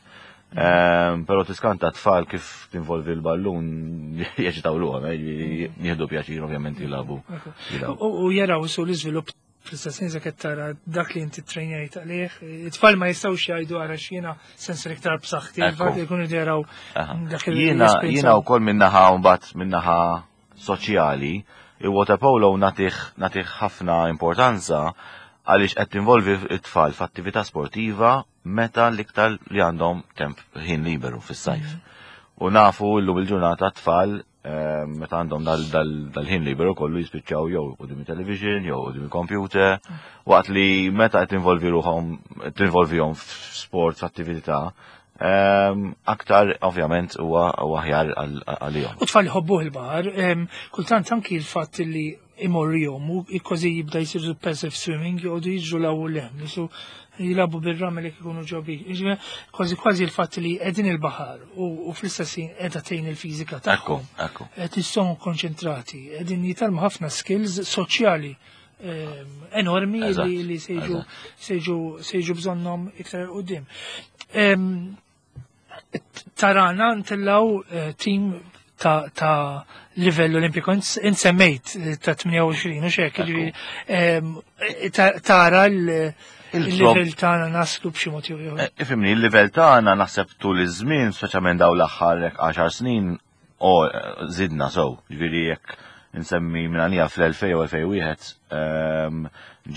Ehm, Però tiskanta tfal kif tinvolvi l-ballun jeċitaw ruħhom, eh, jieħdu pjaċir ovvjament jilagħbu. jilagħbu. U u jaraw su l-iżvilupp fl-istess ħin qed tara dak li inti trejnjajt għalih. It-tfal ma jistgħux jgħidu ara x'jiena sensor iktar b'saħħti, Ekku. il-fatt li jkunu jaraw Aha. dak il- Jiena l-esperienza. jiena wkoll minnaħa mbagħad minnaħa soċjali, il-water polo natih natih ħafna importanza għaliex qed tinvolvi it-tfal f'attività sportiva meta l-iktar li għandhom temp ħin liberu fis-sajf. U nafu llum il-ġurnata tfal eh, meta għandhom dal- dal- dal-ħin liberu kollu jispiċċaw jew quddiem il-television jew quddiem il-computer, waqt li meta qed tinvolvi ruħhom tinvolvihom f'sport, f'attività, ehm, aktar ovvjament huwa huwa aħjar għal- għalihom. U tfal jħobbuh il-baħar, em, kultant anki il-fatt li Imorru jgħumu, kważi jibda jisiru passive swimming, joqogħdu jiġru 'l hawn u 'l hemm, jisu jilagħbu bir-ramel jekk ikunu ġobi. Jiġifieri, kważi kważi il-fatt li qegħdin il-baħar u u fl-istess ħin qiegħda tgħin il-fiżika Ekku, tagħhom. ekku. Qed jissonu konċentrati, qegħdin jitgħallmu ħafna skills soċjali ehm, enormi Eżatt, li, li se jiġu eżatt. se jiġu se jiġu bżonnhom iktar quddiem. Ehm, tarana ntellgħu eh, team ta', ta' livell olimpiku. Int semmejt eh, ta' tmienja u għoxrin u xek, ġifieri, ehm, eh, ta- tara l- il-livell tagħna naslu b'xi mod jew ieħor. Eh, Ifhimni, il-livell tagħna naħseb tul iż-żmien, speċjalment daw l-aħħar hekk għaxar snin, o eh, żidna sew. Ġifieri jekk insemmi minn għalija fl-elfejn u elfejn u wieħed ehm,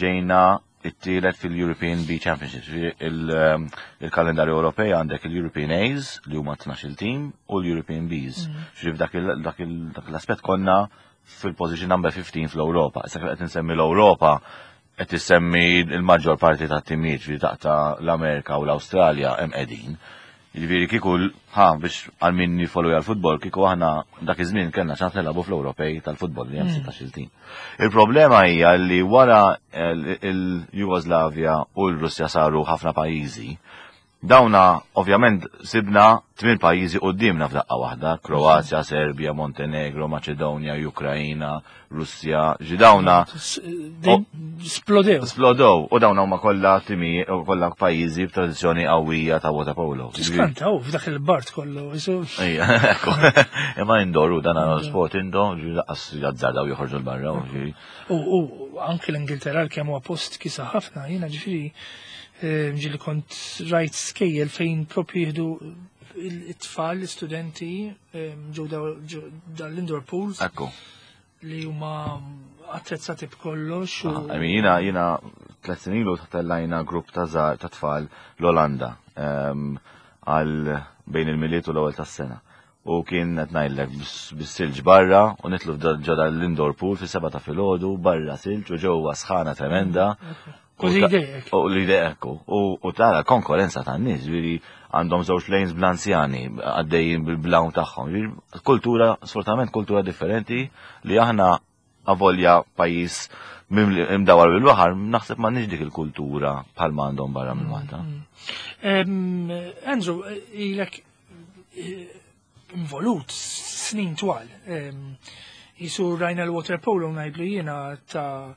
ġejna it-tielet fil-European B Championships. Ġifieri il- ehm, Il-kalendarju Ewropej għandek il-European A's li huma tnax-il team u l-European Bs. Ġifieri f'dak il- dak il- dak l-aspett konna fil-position number fifteen fl-Ewropa. Issa kif qed insemmi l-Ewropa, qed issemmi il-maġġor parti ta' timijiet, ġifieri taqta' l-Amerika u l-Awstralja hemm qegħdin. Ġifieri kieku ħa biex għal min jifollow għal-futbol, kieku aħna dak iż-żmien kellna ċans nilagħbu fl-Ewropej tal-futbol li hemm sittax-il tim. Il-problema hija li wara il-Jugoslavja u l-Russja saru ħafna pajjiżi. Dawna, ovvjament, sibna tmien pajjiżi qudiemna f'daqqa waħda: Kroazja, Serbia, Montenegro, Maċedonja, Ukrajina, Russja, ġi dawna Splodew. Splodew, u dawna huma kollha timi, kollha pajjiżi b'tradizzjoni qawwija ta' waterpolo. Tiskanta, u f'dak il-bart kollu. Ejja, ekku. Imma indoor u dan sport indoor, ġi lanqas jazzardaw joħorġu 'l barra. U anke l-Ingilterra kemm huwa post kiesaħ ħafna, jiena ġifieri ġieli kont rajt skejjel fejn propju jieħdu it-tfal, l-studenti, ġew dal-indoor pools. Ekku. Li huma attrezzati b'kollox. I mean, jiena, jiena tliet snin ilu tellajna grupp ta' ta' tfal l-Olanda għal bejn il-Milied u l-ewwel tas-sena. U kien qed ngħidlek bis-silġ barra u nidħlu ġo l-indoor pool fis-sebgħa ta' filgħodu, barra silġ u ġewwa sħana tremenda. U li U li idejek. U tara konkurrenza ta' nies, ġifieri għandhom żewġ lanes bl-anzjani, għaddejjin bil-blawn tagħhom. Kultura, sfortunatament kultura differenti li aħna avolja pajjiż imdawar bil-baħar, naħseb ma dik il-kultura bħal ma għandhom barra minn Malta. Andrew, ilek eh, involut snin twal. Jisu rajna l-water polo ngħidlu jiena ta'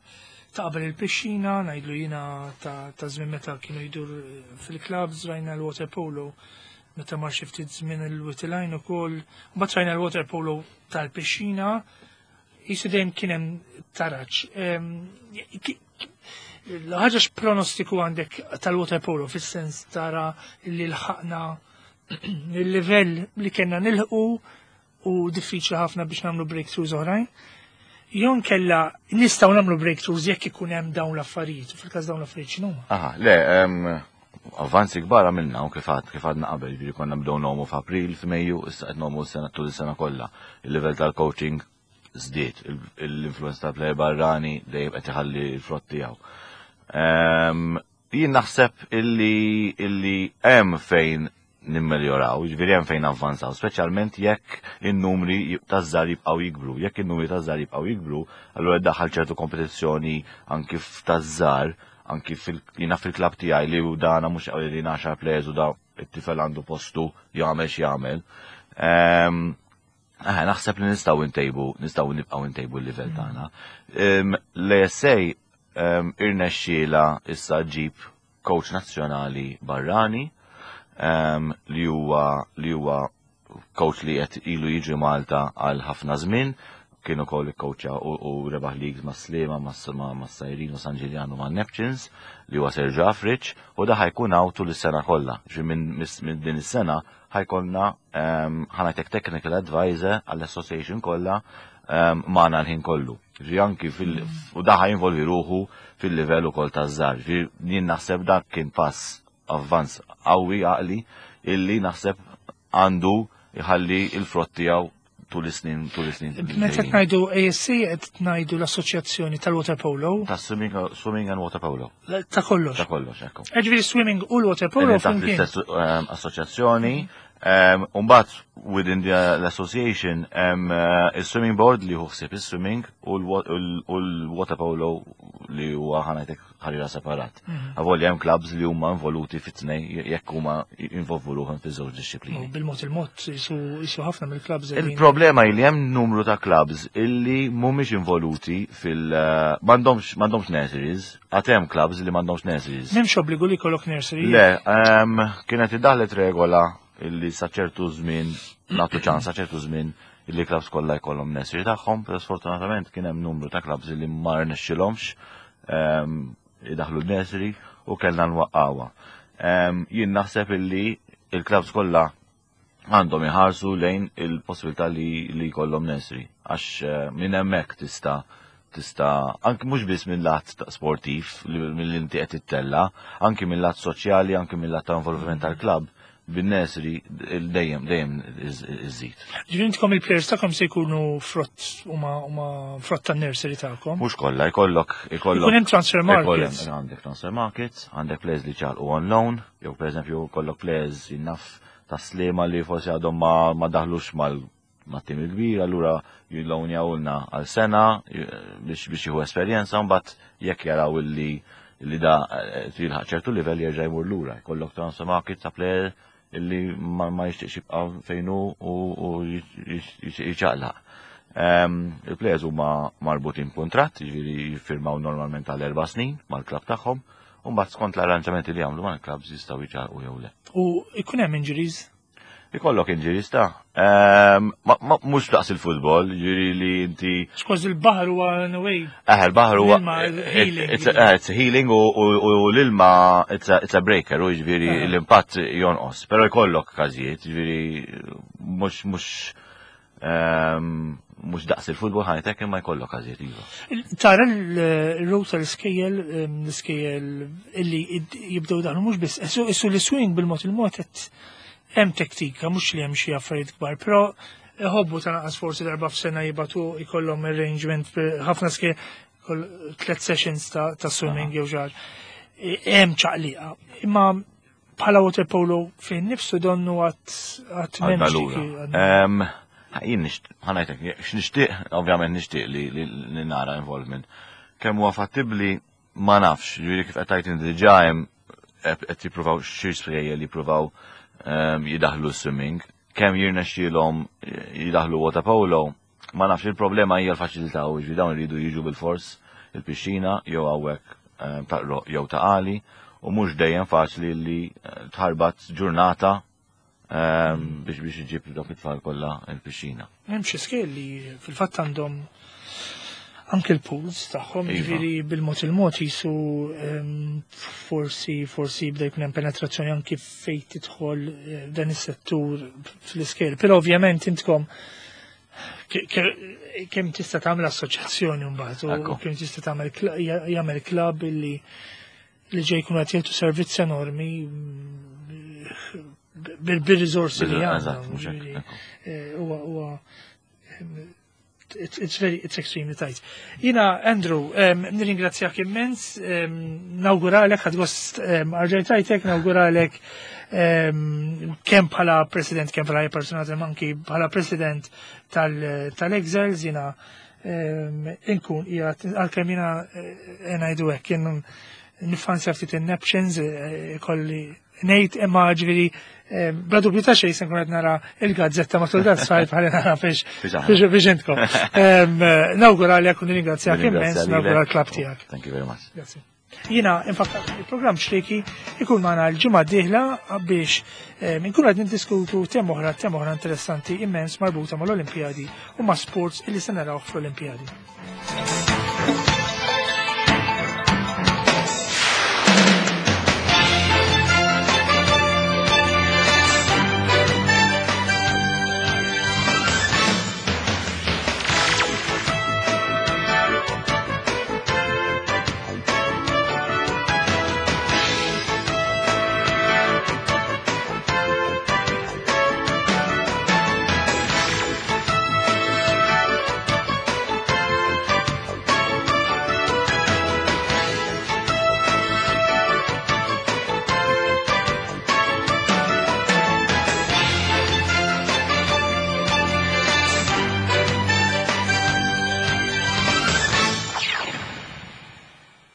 ta' qabel il-pixxina, ngħidlu jiena ta' żmien meta kienu jdur fil-clubs, rajna l-water polo meta mar xi ftit żmien il-Witilajn ukoll, mbagħad rajna l-water polo tal-pixxina, jisu dejjem kien hemm taraġ. L-ħaġa x'pronostiku għandek tal-water polo fis-sens tara li lħaqna il-livell li kellna nilħqu u diffiċli ħafna biex nagħmlu breakthroughs oħrajn? Jew inkella nistgħu nagħmlu breakthroughs jekk ikun hemm dawn l-affarijiet, u fil-każ dawn l-affarijiet x'inhuma? Aha, le, em, avvanzi kbar għamilna u kif għad kif għadna qabel, ġifieri konna bdew ngħumu f'April, f'Mejju, issa qed ngħumu s-sena tul is-sena kollha. Il-livell tal-coaching żdied, l-influenza tal-player barrani dejjem qed iħalli l-frott tiegħu. Em, Jien naħseb illi illi hemm fejn nimmeljoraw, ġifieri hemm fejn avvanzaw, speċjalment jekk in-numri taż-żgħar jibqgħu jikbru. Jekk in-numri taż-żgħar jibqgħu jikbru, allura daħal ċertu kompetizzjoni anki taż-żgħar, anki fil jiena fil-klabb tiegħi li u dana mhux li għaxar players u da it-tifel għandu postu jagħmel x'jagħmel. Ehm, Eh, naħseb li nistgħu ntejbu, nistgħu nibqgħu ntejbu l-livell tagħna. L-A S A irnexxiela issa ġib coach nazzjonali barrani em, li huwa li huwa coach li qed ilu jiġi Malta għal ħafna żmien, kien ukoll ikkoċja u, u rebaħ leagues ma' Sliema, ma' ma' Sajrin u San Ġiljan u ma' Neptunes, li huwa Sergio Afriċ, u da ħa jkun hawn tul is-sena kollha. Ġi minn minn din is-sena ħa jkollna um, ħa ngħidlek technical advisor għall-association kollha um, magħna l-ħin kollu. Ġi anki fil u da ħa jinvolvi ruħu fil-livell ukoll taż-żgħar. Ġi jien naħseb dak kien pass avvanz qawwi għaqli illi naħseb għandu jħalli il-frott tiegħu tul is-snin tul is-snin. Meta qed ngħidu A S A qed ngħidu l-Assoċjazzjoni tal-Water Polo, Ta' swimming, swimming and water polo. Ta' kollox. Ta' kollox, ekku. Ġifieri swimming u l-water polo Qegħdin taħt flimkien. l-istess ehm, assoċjazzjoni, Um, Umbagħad within the l-association um, uh, il-swimming board li ħsieb il-swimming u l-water polo li huwa, ħa ngħidlek, ħarira separat. Avolja hemm clubs li huma involuti fit-tnejn, jekk huma involvu ruħhom fiż-żewġ dixxiplini. Bil-mod il-mod jisu ħafna mill-clubs. Il-problema li hemm numru ta' clubs illi mhumiex involuti fil- m'għandhomx m'għandhomx nurseries, għad hemm clubs li m'għandhomx nurseries. M'hemmx obbligu li jkollok nursery? Le, um, kienet iddaħlet regola illi sa ċertu żmien nagħtu ċans, sa ċertu żmien, illi clubs kollha jkollhom nursery tagħhom, però sfortunatament kien hemm numru ta' clubs illi ma rnexxilhomx um, idaħlu l-nursery u kellna nwaqqawha. Um, jien naħseb illi il-clubs kollha għandhom iħarsu lejn il-possibilità li li jkollhom nursery, għax uh, minn hemmhekk tista' tista' anki mhux biss minn lat sportiv li mill inti qed ittella, anki minn lat soċjali, anki minn lat ta' involviment tal-klabb bin-nursery dejjem dejjem iżid. Ġifieri intkom il-players tagħkom se jkunu frott huma huma frott tan-nursery tagħkom? Mhux kollha, jkollok ikollok. Ikun hemm transfer markets. Għandek transfer markets, għandek players li ċalqu on loan, jew pereżempju kollok players jinnaf ta' Sliema li forsi għadhom ma, ma daħlux mal ma' tim il-kbir, allura jillonjawlna għal sena biex biex jieħu esperjenza, mbagħad jekk jaraw illi li da jilħaq ċertu livell jerġa' jmur lura. Jkollok transfer market ta' player illi ma, ma jixtieqx jibqa' fejnu u, u jiċaqlaq. Um, Il-players huma marbutin kuntratt, jiġifieri jiffirmaw normalment għal erba' snin mal-klabb tagħhom, u mbagħad skont l-arranġamenti li jagħmlu mal-klabbs jistgħu jiċaqlqu jew le. U ikun hemm injuries? Ikollok injuries ta' um, ma, ma, mhux daqs il-futbol, ġifieri li inti. Skont il-baħar huwa in a way. Eh, il-baħar huwa. Healing. It's a, it's a healing u, u, u l-ilma it's a, it's a breaker, u ġifieri l-impatt jonqos. Però jkollok każijiet, ġifieri mhux mhux um, mhux daqs il-futbol, ħa ngħidlek, imma jkollok każijiet, iva. Tara l-row tal-iskejjel, l-iskejjel illi jibdew daħlu mhux biss, issu l-swimming bil-mod il-mod qed hemm tektika, mhux li hemm xi affarijiet kbar, però iħobbu ta' naqas forsi darba f'sena jibatu jkollhom arrangement, ħafna skejjel tliet sessions ta', ta swimming jew ġar. Hemm ċaqliqa. Imma bħala water polo fejn nifsu donnu għad għad m'hemmx. Jien ħa ngħidlek, x'nixtieq, ovvjament nixtieq li, li, li nara involvement. Kemm huwa fattibbli ma nafx, ġifieri kif qed tgħid diġà hemm qed jippruvaw xi skejjel li jippruvaw jidaħlu swimming, kemm jirnexxielhom jidaħlu water polo, ma nafx. Il-problema hija l-faċilità, u ġifieri dawn iridu jiġu bil-fors il-pixxina jew hawnhekk ta' jew Ta' Qali, u mhux dejjem faċli li tħarbat ġurnata biex biex iġib dawk it-tfal kollha il-pixxina. Hemm xi skejjel li fil-fatt għandhom anke l-pools tagħhom, Iva. ġifieri bil-mod il-mod jisu em, forsi forsi jibda jkun hemm penetrazzjoni anki fejn tidħol eh, dan is-settur fl-iskejjel. Però ovvjament intkom ke- ke- kemm tista' tagħmel assoċjazzjoni mbagħad u Ekku. kemm tista' tagħmel kla- ja- jagħmel klabb illi li ġej jkunu qed jagħtu servizz enormi mm, bil- bil-riżorsi li Bil- għandna. Eżatt, mhux hekk, Ġifieri, ekku. eh, huwa huwa it's, it's very, it's extremely tight. Jiena, Andrew, um, nirringrazzjak immens, um, nawguralek, ħadt gost um, erġajt rajtek, nawguralek um, kemm bħala president, kemm bħala personat, anki bħala president tal- tal-Exiles, jiena um, inkun qiegħed, għalkemm jiena eh, ngħidu hekk, jien nifanzja ftit in-napkins, eh, kolli ngħid, imma ġifieri eh, bla dubju ta' xejn se nkun qed nara il-gazzetta matul dat sajf ħalli nara fiex Fiex aħna. fiex fiex intkom. Em, Nawguralek u nirringrazzjak immens, Nirringrazzja lilek. nawgura l-klabb tiegħek. Thank you very much. Grazie. Jiena infakkar il-programm Ċrieki ikun magħna l-ġimgħa d-dieħla biex eh, inkunu qed niddiskutu tema oħra tema oħra interessanti immens marbuta mal-Olimpjadi u ma' sports illi se narawh fl-Olimpjadi.